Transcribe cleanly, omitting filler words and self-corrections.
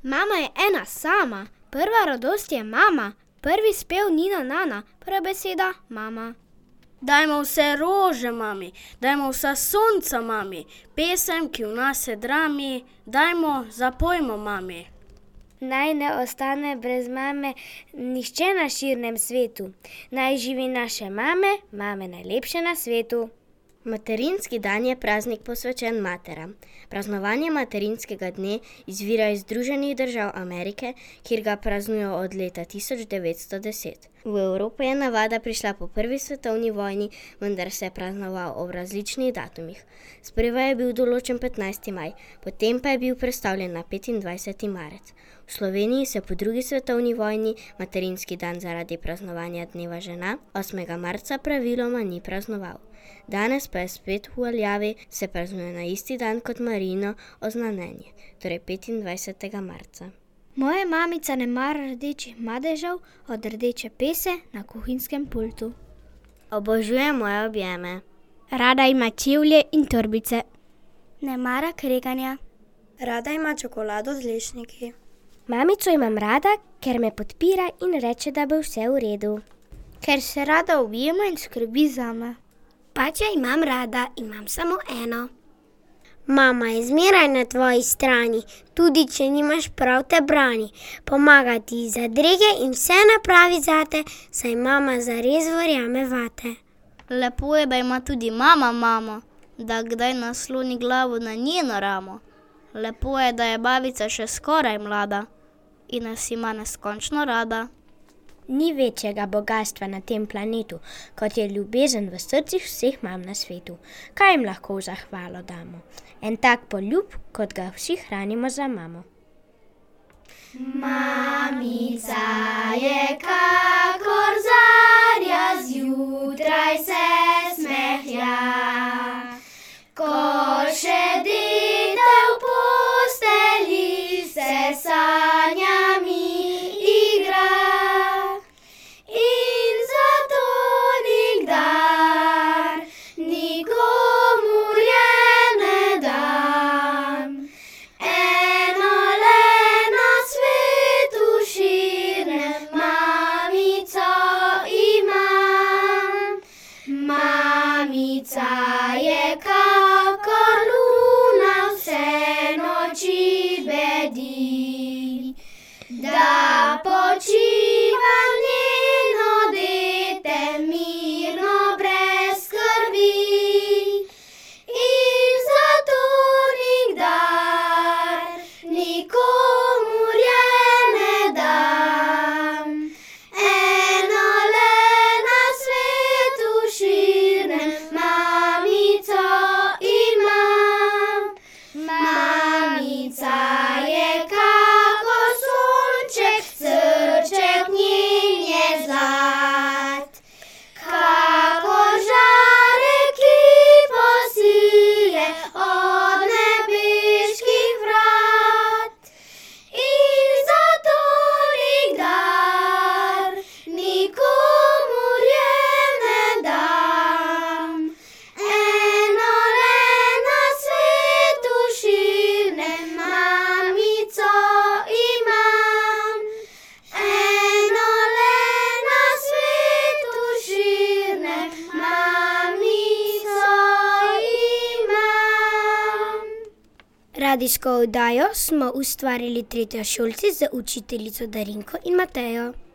Mama je ena sama, prva radost je mama, prvi spev Nina Nana, prva beseda mama. Dajmo vse rože mami, dajmo vsa sonca mami, pesem, ki v nas se drami, dajmo, zapojmo mami. Naj ne ostane brez mame nihče na širnem svetu. Naj živi naše mame, mame najlepše na svetu. Materinski dan je praznik posvečen materam. Praznovanje materinskega dne izvira iz Združenih držav Amerike, kjer ga praznujejo od leta 1910. V Evropo je navada prišla po prvi svetovni vojni, vendar se je praznoval ob različnih datumih. Sprva je bil določen 15. maj, potem pa je bil prestavljen na 25. marec. V Sloveniji se po drugi svetovni vojni materinski dan zaradi praznovanja dneva žena 8. marca praviloma ni praznoval. Danes pa je spet v veljavi, se praznuje na isti dan kot Marijino oznanjenje, torej 25. marca. Moja mamica ne mara rdečih madežev od rdeče pese na kuhinjskem pultu. Obožuje moje objeme. Rada ima čevlje in torbice. Ne mara kreganja. Rada ima čokolado z lešniki. Mamico imam rada, ker me podpira in reče, da bo vse v redu. Ker se rada objema in skrbi zame. Pač jo imam rada, imam samo eno. Mama je zmeraj na tvoji strani, tudi če nimaš prav te brani. Pomaga ti za drege in vse napravi zate, saj mama zares verjame vate. Lepo je, da ima tudi mama mamo, da kdaj nasloni glavo na njeno ramo. Lepo je, da je babica še skoraj mlada in nas ima neskončno rada. Ni večjega bogastva na tem planetu, kot je ljubezen v srcih vseh mam na svetu. Kaj jim lahko v zahvalo damo? En tak poljub, kot ga vsi hranimo za mamo. Mamica je kakor zarja, zjutraj se smehlja. Ko še dete v postelji se sanjami igra. In zato nikdar nikomur je ne dam. Eno le na svetu širnem mamico imam. Mamica je kakor luna, vse noči bedi, da počiva njeno dete mirno brez skrbi. In zato nikdar nikomur je ne dam. Eno le na svetu širnem mamico imam. Mamica je kakor sonček, srček njen je zlat. Kakor žarek, ki posije od nebeških vrat. In zato nikdar nikomur je ne dam. Eno le na svetu širnem mamico imam. Eno le na svetu širnem mamico imam. Radijsko oddajo smo ustvarili tretjošolci z učiteljico Darinko in Matejo.